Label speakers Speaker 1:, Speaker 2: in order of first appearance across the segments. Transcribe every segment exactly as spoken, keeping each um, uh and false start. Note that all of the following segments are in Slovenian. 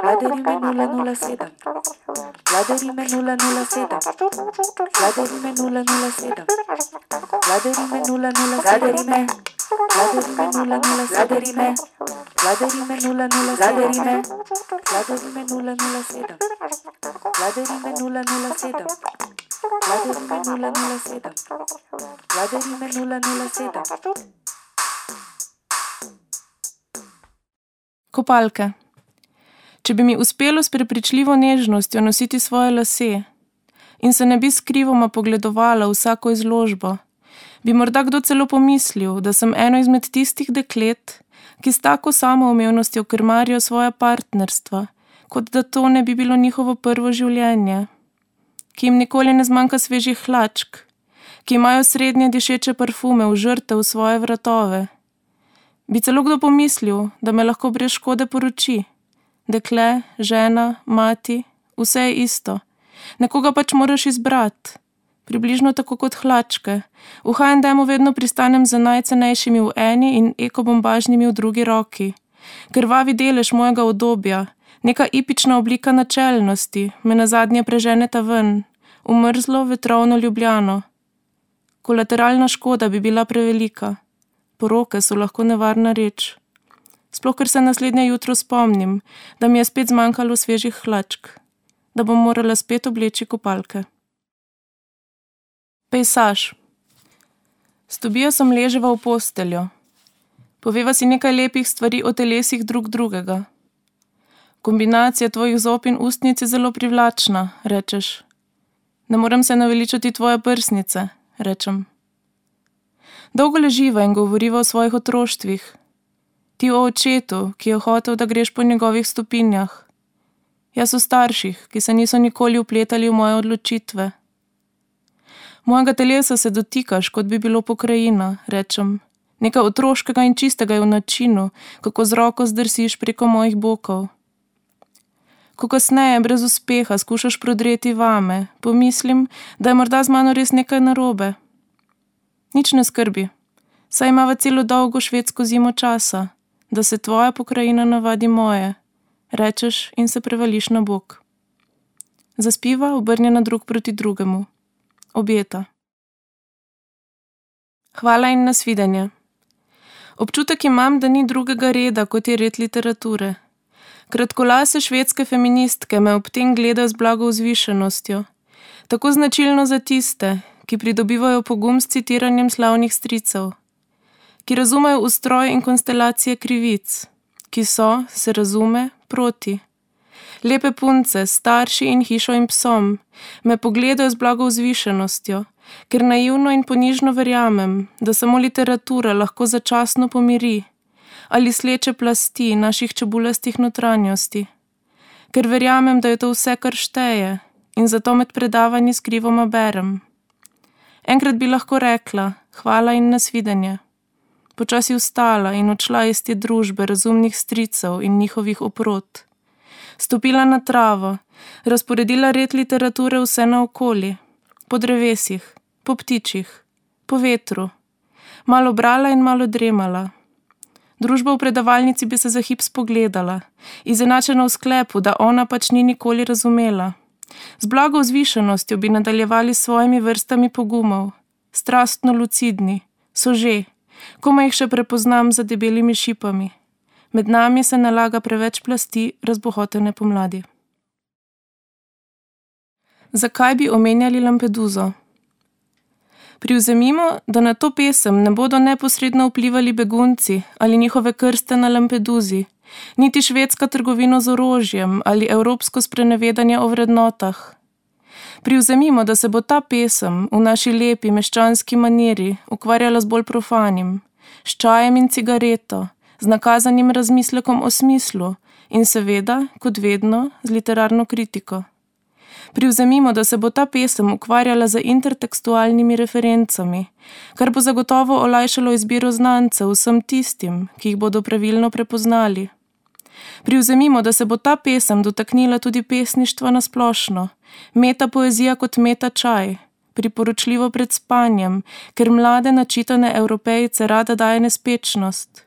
Speaker 1: Vladarime nula nula sedem. Vladarime nula nula sedem. Vladarime nula nula sedem. Vladarime nula nula Vladarime. Vladarime nula nula Vladarime. Vladarime nula nula Vladarime. Vladarime nula nula sedem. Vladarime nula nula sedem. Vladarime nula nula sedem. Vladarime nula nula sedem.
Speaker 2: Kopalke. Če bi mi uspelo s prepričljivo nežnostjo nositi svoje lase in se ne bi skrivoma pogledovala vsako izložbo, bi morda kdo celo pomislil, da sem eno izmed tistih deklet, ki s tako samoumevnostjo krmarijo svoja partnerstva, kot da to ne bi bilo njihovo prvo življenje, ki jim nikoli ne zmanjka svežih hlačk, ki imajo srednje dišeče parfume v žrtev svoje vratove. Bi celo kdo pomislil, da me lahko brez škode poroči. Dekle, žena, mati, vse je isto. Nekoga pač moraš izbrati. Približno tako kot hlačke. V ha en demu vedno pristanem z najcenejšimi v eni in ekobombažnimi v drugi roki. Krvavi delež mojega udobja, neka ipična oblika načelnosti, me nazadnje preženeta ven, v mrzlo, vetrovno Ljubljano. Kolateralna škoda bi bila prevelika. Poroke so lahko nevarna reč. Sploh, ker se naslednje jutro spomnim, da mi je spet zmanjkalo svežih hlačk, da bom morala spet obleči kopalke. Pejsaž. S Tobijo sem leževa v posteljo. Poveva si nekaj lepih stvari o telesih drug drugega. Kombinacija tvojih zob in ustnic je zelo privlačna, rečeš. Ne morem se naveličati tvoje prsnice, rečem. Dolgo leživa in govoriva o svojih otroštvih. Ti o očetu, ki je hotel, da greš po njegovih stopinjah. Jaz o starših, ki se niso nikoli vpletali v moje odločitve. Mojega telesa se dotikaš, kot bi bilo pokrajina, rečem. Nekaj otroškega in čistega je v načinu, kako z roko zdrsiš preko mojih bokov. Ko kasneje brez uspeha skušaš prodreti vame, pomislim, da je morda z mano res nekaj narobe. Nič ne skrbi, saj imava celo dolgo švedsko zimo časa, da se tvoja pokrajina navadi moje, rečeš in se prevališ na bok. Zaspiva, obrnjena drug proti drugemu. Objeta. Hvala in nasvidenje. Občutek imam, da ni drugega reda, kot je red literature. Kratkolase švedske feministke me ob tem gledajo z blago vzvišenostjo, tako značilno za tiste, ki pridobivajo pogum s citiranjem slavnih stricev, ki razumejo ustroj in konstelacije krivic, ki so, se razume, proti. Lepe punce, starši in hišo in psom, me pogledajo z blago vzvišenostjo, ker naivno in ponižno verjamem, da samo literatura lahko začasno pomiri ali sleče plasti naših čebulastih notranjosti, ker verjamem, da je to vse, kar šteje, in zato med predavanji skrivoma berem. Enkrat bi lahko rekla, hvala in nasvidenje. Počasi vstala in odšla iz te družbe razumnih stricev in njihovih oprot. Stopila na travo, razporedila red literature vse naokoli, po drevesih, po ptičih, po vetru, malo brala in malo dremala. Družba v predavalnici bi se za hip spogledala, izenačena v sklepu, da ona pač ni nikoli razumela. Z blago vzvišenostjo bi nadaljevali s svojimi vrstami pogumov, strastno lucidni, so že, komaj jih še prepoznam za debelimi šipami. Med nami se nalaga preveč plasti razbohotene pomladi. Zakaj bi omenjali Lampeduso? Privzemimo, da na to pesem ne bodo neposredno vplivali begunci ali njihove krste na Lampeduzi, niti švedska trgovina z orožjem ali evropsko sprenevedanje o vrednotah. Privzemimo, da se bo ta pesem v naši lepi meščanski maniri ukvarjala z bolj profanim, s čajem in cigareto, z nakazanim razmislekom o smislu in seveda, kot vedno, z literarno kritiko. Privzemimo, da se bo ta pesem ukvarjala z intertekstualnimi referencami, kar bo zagotovo olajšalo izbiro znancev vsem tistim, ki jih bodo pravilno prepoznali. Privzemimo, da se bo ta pesem dotaknila tudi pesništva na splošno, meta poezija kot meta čaj, priporočljivo pred spanjem, ker mlade načitane Evropejce rada daje nespečnost.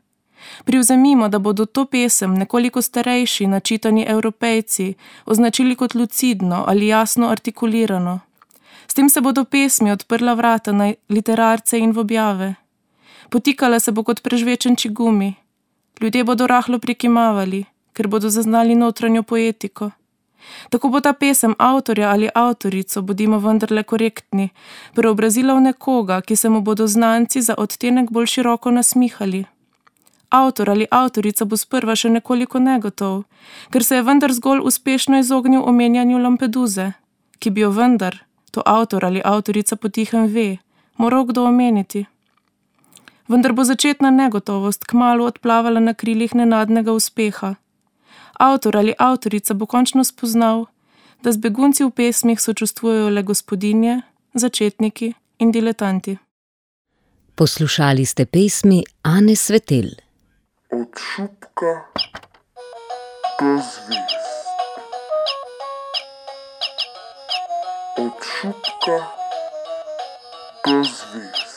Speaker 2: Privzemimo, da bodo to pesem nekoliko starejši, načitani Evropejci označili kot lucidno ali jasno artikulirano. S tem se bodo pesmi odprla vrata na literarce in v objave. Potikala se bo kot prežvečen čigumi. Ljudje bodo rahlo prikimavali, ker bodo zaznali notranjo poetiko. Tako bo ta pesem avtorja ali avtorico, bodimo vendarle korektni, preobrazila v nekoga, ki se mu bodo znanci za odtenek bolj široko nasmihali. Avtor ali avtorica bo sprva še nekoliko negotov, ker se je vendar zgolj uspešno izognil omenjanju Lampeduze, ki bi jo vendar, to avtor ali avtorica potihem ve, moral kdo omeniti. Vendar bo začetna negotovost kmalu odplavala na krilih nenadnega uspeha. Avtor ali avtorica bo končno spoznal, da z begunci v pesmih sočustvujejo le gospodinje, začetniki in diletanti.
Speaker 3: Poslušali ste pesmi Ane Svetelj.
Speaker 4: Od šupka do zvezd. Od šupka do zvezd.